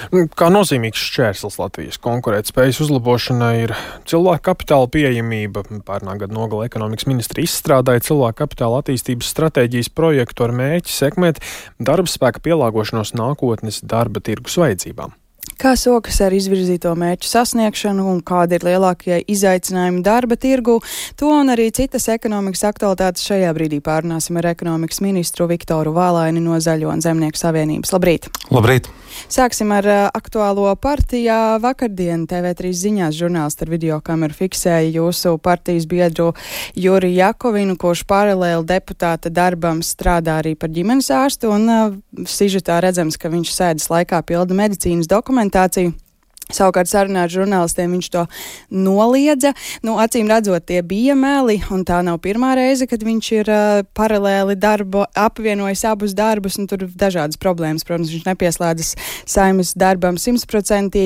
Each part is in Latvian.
Kā nozīmīgs šķērslis Latvijas konkurētspējas uzlabošanai ir cilvēku kapitāla pieejamība. Pērnā gada nogalē ekonomikas ministri izstrādāja cilvēku kapitāla attīstības stratēģijas projektu ar mērķi sekmēt darbspēka pielāgošanos nākotnes darba tirgus vajadzībām. Kā sokas ar izvirzīto mērķu sasniegšanu un kādi ir lielākie izaicinājumi darba tirgu, to un arī citas ekonomikas aktualitātes šajā brīdī pārunāsim ar ekonomikas ministru Viktoru Vālaini no Zaļo un Zemnieku savienības. Labrīt! Labrīt! Sāksim ar aktuālo partijā. Vakardien TV3 ziņās žurnālisti ar videokameru fiksēja jūsu partijas biedru Juri Jakovinu, kurš paralēli deputāta darbam strādā arī par ģimenes ārstu, un sižetā redzams, ka viņš sēdes laikā pilda medicīnas dokumentāciju. Savukārt sarunā ar žurnālistiem viņš to noliedza. Acīm redzot, tie bija meli, un tā nav pirmā reize, kad viņš ir paralēli apvienojis abus darbus, un tur dažādas problēmas. Protams, viņš nepieslēdzas Saeimas darbam 100%,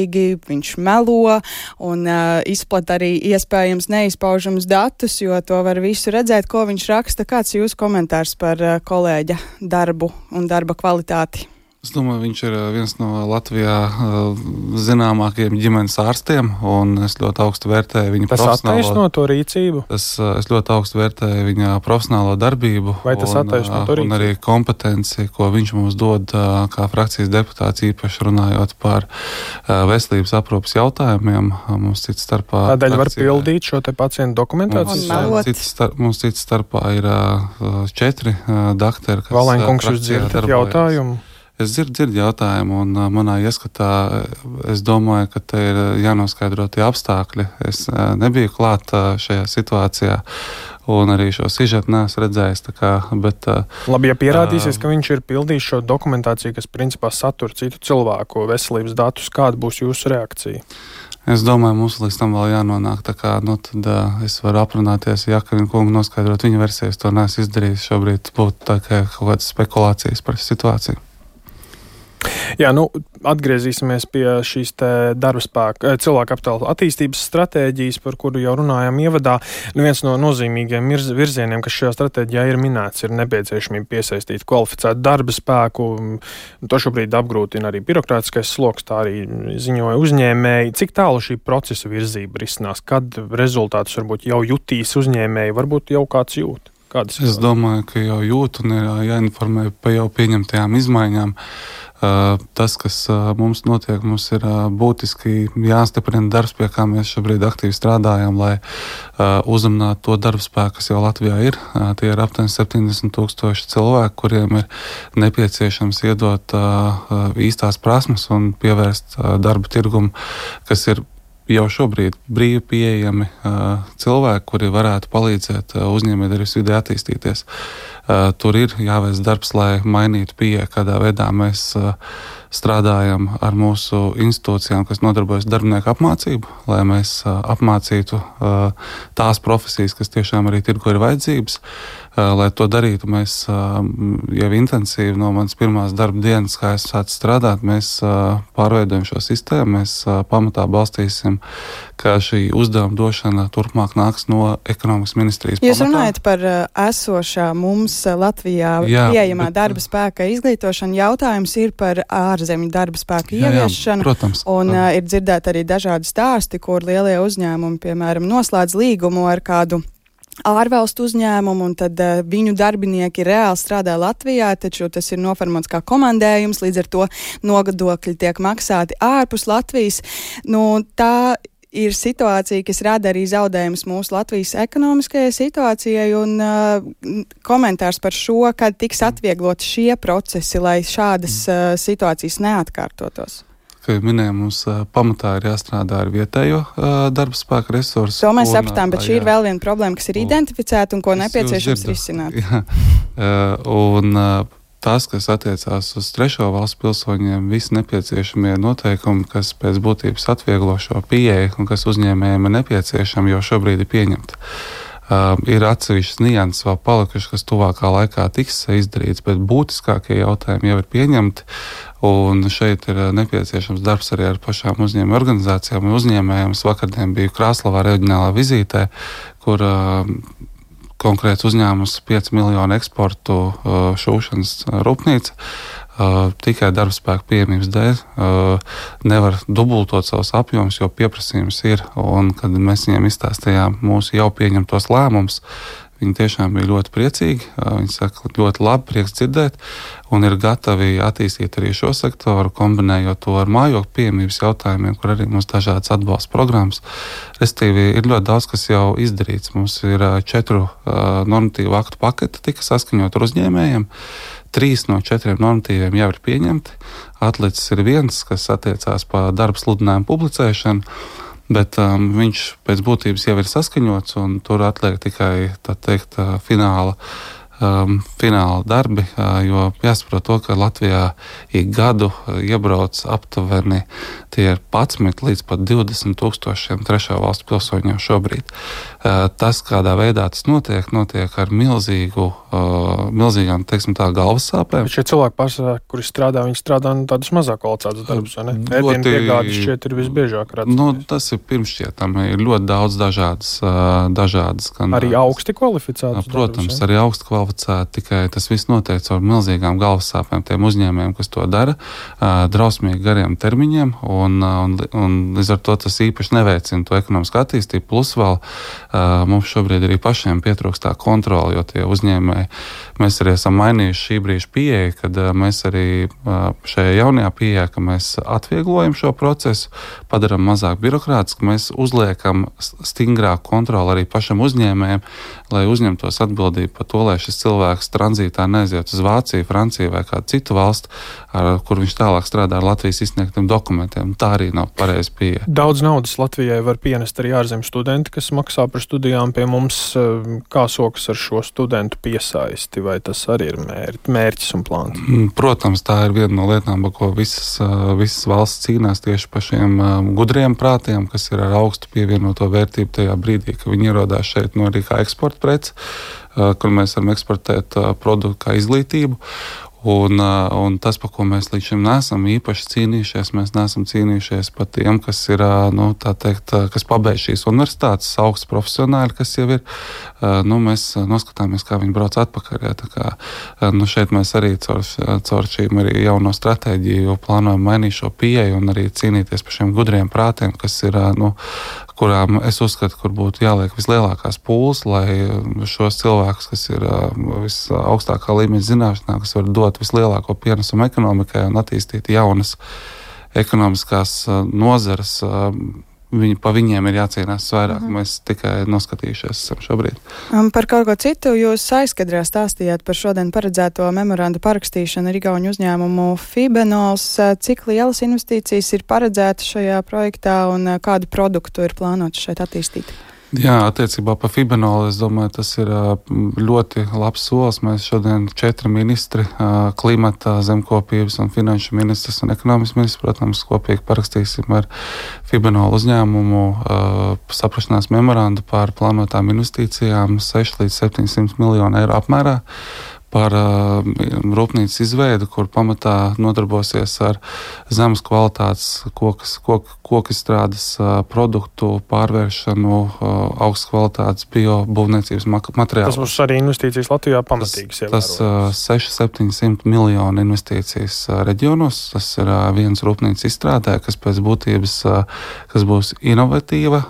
viņš melo un izplat arī iespējams neizpaužamus datus, jo to var visu redzēt, ko viņš raksta. Kāds jūsu komentārs par kolēģa darbu un darba kvalitāti? Es domāju, viņš ir viens no Latvijā zināmākajiem ģimenes ārstiem, un es ļoti augstu vērtēju viņa profesionālo... Tas attaisno to rīcību? Es ļoti augstu vērtēju viņa profesionālo darbību. Vai tas attaisno to rīcību? Un arī kompetenci, ko viņš mums dod kā frakcijas deputāts, īpaši runājot par veselības aprūpas jautājumiem. Mums cits starpā... Tādēļ var pildīt šo te pacientu dokumentāciju? Mums cits starpā ir 4 dakteri, kas... Vālaini kungs, jūs dzirdat jautājumu? Es dzirdu jautājumu, un manā ieskatā es domāju, ka te ir jānoskaidro tie apstākļi. Es nebiju klāt šajā situācijā, un arī šo sižetu neesmu redzējis. Labi, ja pierādīsies, ka viņš ir pildījis šo dokumentāciju, kas principā satur citu cilvēku veselības datus, kāda būs jūsu reakcija? Es domāju, mums līdz tam vēl jānonāk. Tad es varu aprunāties, ja Jakavina kungu noskaidrot viņa versijas. To neesmu izdarījis. Šobrīd būtu kaut kādas spekulācijas par situāciju. Jā, atgriezīsimies pie šīs te darba spēka, cilvēku kapitāla attīstības stratēģijas, par kuru jau runājām ievadā. Viens no nozīmīgiem virzieniem, kas šajā stratēģijā ir minēts, ir nepieciešamība piesaistīt kvalificētu darba spēku. To šobrīd apgrūtina arī birokrātiskais sloks, tā arī ziņoja uzņēmēji. Cik tālu šī procesa virzība risinās? Kad rezultātus varbūt jau jutīs uzņēmēji, varbūt jau kāds jūt? Es domāju, ka jau jūt un ir jāinformē par jau pieņemtajām izmaiņām. Tas, kas mums notiek, mums ir būtiski jāstiprina darbs, pie kā mēs šobrīd aktīvi strādājam, lai uzrunātu to darba spēku, kas jau Latvijā ir. Tie ir aptuveni 70,000 cilvēku, kuriem ir nepieciešams iedot īstās prasmes un pievērst darba tirgumu, kas ir jau šobrīd brīvi pieejami cilvēki, kuri varētu palīdzēt uzņēmējdarbības vidē attīstīties. Tur ir jāveic darbs, lai mainītu pieeju, kādā veidā mēs strādājam ar mūsu institūcijām, kas nodarbojas darbinieku apmācību, lai mēs apmācītu tās profesijas, kas tiešām arī tirgu ir vajadzības. Lai to darītu, mēs jau intensīvi no manas pirmās darba dienas, kā es sācu strādāt, mēs pārveidojam šo sistēmu, mēs pamatā balstīsim, ka šī uzdevuma došana turpmāk nāks no ekonomikas ministrijas pamatā. Jūs runājat par esošā mums Latvijā pieejamā darba spēka izglītošanu. Jautājums ir par ārzemju darba spēku ieviešanu. Protams. Un ir dzirdēti arī dažādi stāsti, kur lielie uzņēmumi, piemēram, noslēdz līgumu ar kādu ārvalstu uzņēmumu, un tad viņu darbinieki reāli strādā Latvijā, taču tas ir noformots kā komandējums, līdz ar to nodokļi tiek maksāti ārpus Latvijas. Tā ir situācija, kas rada arī zaudējumus mūsu Latvijas ekonomiskajai situācijai, un komentārs par šo, kad tiks atvieglot šie procesi, lai šādas situācijas neatkārtotos. Kā minēju, mums pamatā ir jāstrādā ar vietējo darba spēka resursu. To mēs sapratām, bet šī ir vēl viena problēma, kas ir identificēta un ko nepieciešams risināt. Un tas, kas attiecās uz trešo valstu pilsoņiem, visi nepieciešamie noteikumi, kas pēc būtības atvieglo šo pieeju un kas uzņēmējiem ir nepieciešami, jau šobrīd ir pieņemti. Ir atsevišķas nianses vēl palikušas, kas tuvākā laikā tiks izdarīts, bet būtiskākie jautājumi jau ir pieņemti. Un šeit ir nepieciešams darbs arī ar pašām uzņēmēju organizācijām un uzņēmējiem. Es vakardien biju Krāslavā reģionālā vizītē, kur konkrēts uzņēmums 5 miljonu eksportu šūšanas rūpnīca tikai darbspēka pieejamības dēļ nevar dubultot savus apjomus, jo pieprasījums ir. Un, kad mēs viņiem izstāstījām mūsu jau pieņemtos lēmumus, viņi tiešām bija ļoti priecīgi. Viņi saka, ļoti labi, prieks dzirdēt, un ir gatavi attīstīt arī šo sektoru, kombinējot to ar mājokļu pieejamības jautājumiem, kur arī mums dažādas atbalsta programmas. Restīvi, ir ļoti daudz, kas jau izdarīts. Mums ir 4 normatīvu aktu paketi, tika saskaņot ar uzņēmējiem. 3 no 4 normatīviem jau ir pieņemti. Atlicis ir 1, kas attiecās par darba sludinājumu publicēšanu. Bet viņš pēc būtības jau ir saskaņots, un tur atliek tikai, tā teikt, fināla darbi, jo jāsaprot to, ka Latvijā ik gadu iebrauc aptuveni tie ir 11 līdz pat 20 tūkstošiem trešo valstu pilsoņu jau šobrīd. Tas, kādā veidā tas notiek ar milzīgām, teiksim tā, galvas sāpēm. Bet šie cilvēki pārsvarā, kuri strādā, viņi strādā tādus mazāk kvalificētus darbus, vai ne? Ēdienu piegādes šķiet ir visbiežāk redzams. Tas ir pirmšķietami, ir ļoti daudz dažādas arī augsti kvalificētus protams, darbus, arī augsti kvalificēti, tikai tas viss notiek caur milzīgām galvas sāpēm tiem uzņēmējiem, kas to dara, drausmīgi gariem termiņiem, un līdz ar to tas īpaši neveicina to ekonomisku attīstību, plus vēl mums šobrīd arī pašiem pietrūkst tā kontrola, jo tie uzņēmēji, mēs arī esam mainījuši šī brīža pieeja, kad mēs arī šajā jaunajā pieejā, ka mēs atvieglojam šo procesu, padaram mazāk birokrātisku, mēs uzliekam stingrāku kontroli arī pašam uzņēmējiem, lai uzņemtos atbildību par to, lai šis cilvēks tranzītā neaiziet uz Vāciju, Franciju vai kādu citu valstu, kur viņš tālāk strādā ar Latvijas izsniegtiem dokumentiem. Tā arī nav pareiza pieeja. Daudz naudas Latvijai var pienest arī ārzemju studenti, kas maksā par studijām pie mums. Kā sokas ar šo studentu piesaisti, vai tas arī ir mērķis un plāns? Protams, tā ir viena no lietām, par ko visas valsts cīnās tieši par šiem gudriem prātiem, kas ir ar augstu pievienoto vērtību tajā brīdī, ka viņi ierodās šeit arī kā eksporta preci, kur mēs varam eksportēt produktu kā izglītību. Un tas, par ko mēs līdz šim neesam īpaši cīnījušies, mēs neesam cīnījušies par tiem, kas ir, kas pabeidz šīs universitātes, augsts profesionāļi, kas jau ir. Mēs noskatāmies, kā viņi brauc atpakaļ. Tā kā, šeit mēs arī caur šīm arī jauno stratēģiju plānojam mainīt šo pieeju un arī cīnīties par šiem gudriem prātiem, kas ir, kurām es uzskatu, kur būtu jāliek vislielākās pūles, lai šos cilvēkus, kas ir visaugstākā līmeņa zināšanā, kas var dot vislielāko pienesumu ekonomikai un attīstīt jaunas ekonomiskās nozares, pa viņiem ir jācīnās vairāk. Mēs tikai noskatījušies esam šobrīd. Par kaut ko citu jūs aizkadrā stāstījāt par šodien paredzēto memoranda parakstīšanu ar igauņu uzņēmumu Fibenols. Cik lielas investīcijas ir paredzētas šajā projektā un kādu produktu ir plānots šeit attīstīt? Jā, attiecībā par Fibenolu, es domāju, tas ir ļoti labs solis. Mēs šodien 4 ministri, klimata, zemkopības un finanšu ministrs un ekonomikas ministrs, protams, kopīgi parakstīsim ar Fibenolu uzņēmumu saprašanās memorandu par plānotām investīcijām 6 līdz 700 miljonu eiro apmērā. Par rūpnīcas izveidu, kur pamatā nodarbosies ar zemes kvalitātes kokizstrādes produktu pārvēršanu, augstas kvalitātes biobūvniecības materiālu. Tas būs arī investīcijas Latvijā pamatīgas. Tas 600-700 miljonu investīcijas reģionos. Tas ir viens rūpnīcas izstrādē, kas pēc būtības kas būs inovatīva,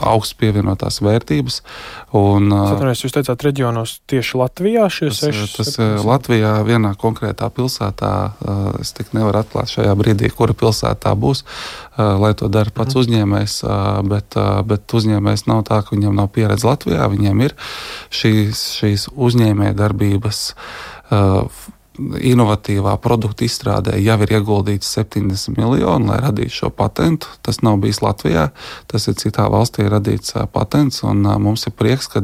augsts pievienotās vērtības. Jūs teicāt reģionos tieši Latvijā šie 6? Tas Latvijā vienā konkrētā pilsētā, es tik nevaru atklāt šajā brīdī, kura pilsētā būs, lai to dara pats uzņēmējs, bet uzņēmējs nav tā, ka viņam nav pieredze Latvijā, viņiem ir šīs uzņēmēja darbības inovatīvā produkta izstrādē jau ir ieguldīts 70 miljoni, lai radītu šo patentu. Tas nav bijis Latvijā, tas ir citā valstī radīts patents, un mums ir prieks, ka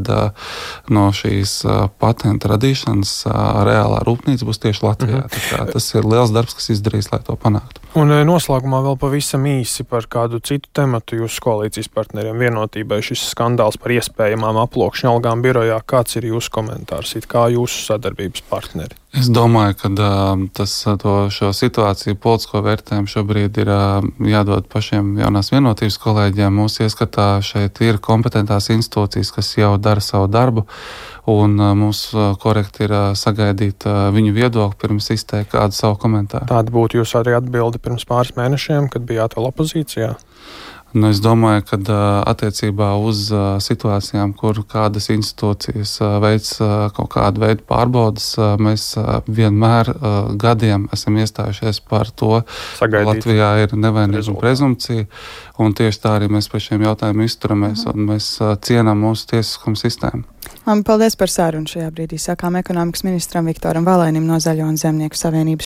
no šīs patenta radīšanas reālā rūpnīca būs tieši Latvijā. Tas ir liels darbs, kas izdarīs, lai to panāktu. Un noslēgumā vēl pavisam īsi par kādu citu tematu jūsu koalīcijas partneriem vienotībai. Šis skandāls par iespējamām aploksņu algām birojā. Kāds ir jūsu komentārs, kā jūsu sadarbības partneri? Es domāju, ka šo situāciju politisko vērtējumu šobrīd ir jādod pašiem jaunās vienotības kolēģiem. Mūsu ieskatā šeit ir kompetentās institūcijas, kas jau dara savu darbu, un mums korekti ir sagaidīt viņu viedokli pirms izteikt kādu savu komentāru. Tāda būtu jūs arī atbildi pirms pāris mēnešiem, kad bijāt vēl opozīcijā? Es domāju, ka attiecībā uz situācijām, kur kādas institūcijas veic kaut kādu veidu pārbaudas, mēs vienmēr gadiem esam iestājušies par to, ka Latvijā ir nevainīguma prezumpcija, un tieši tā arī mēs par šiem jautājumiem izturamies, un mēs cienām mūsu tiesiskumu sistēmu. Paldies par sarunu šajā brīdī. Sākām ekonomikas ministram Viktoram Valēnim no Zaļo un Zemnieku savienības.